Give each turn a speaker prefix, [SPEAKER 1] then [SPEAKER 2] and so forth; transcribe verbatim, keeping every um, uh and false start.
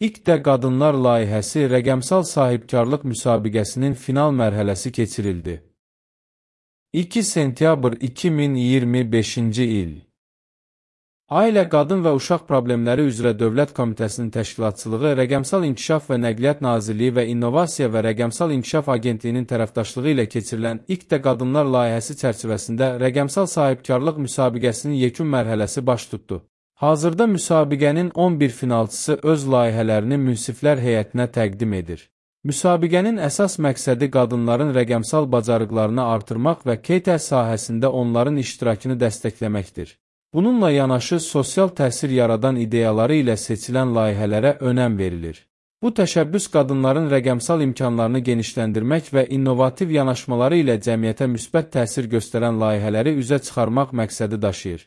[SPEAKER 1] İlk də Qadınlar layihəsi rəqəmsal sahibkarlıq müsabiqəsinin final mərhələsi keçirildi. iki sentyabr iki min iyirmi beşinci il. Ailə, Qadın və Uşaq Problemləri üzrə Dövlət Komitəsinin təşkilatçılığı, Rəqəmsal İnkişaf və Nəqliyyat Nazirliyi və İnnovasiya və Rəqəmsal İnkişaf Agentliyinin tərəfdaşlığı ilə keçirilən İlk də Qadınlar layihəsi çərçivəsində rəqəmsal sahibkarlıq müsabiqəsinin yekun mərhələsi baş tutdu. Hazırda müsabiqənin on bir finalçısı öz layihələrini münsiflər heyətinə təqdim edir. Müsabiqənin əsas məqsədi qadınların rəqəmsal bacarıqlarını artırmaq və K T sahəsində onların iştirakını dəstəkləməkdir. Bununla yanaşı, sosial təsir yaradan ideyaları ilə seçilən layihələrə önəm verilir. Bu təşəbbüs qadınların rəqəmsal imkanlarını genişləndirmək və innovativ yanaşmaları ilə cəmiyyətə müsbət təsir göstərən layihələri üzə çıxarmaq məqsədi daşıyır.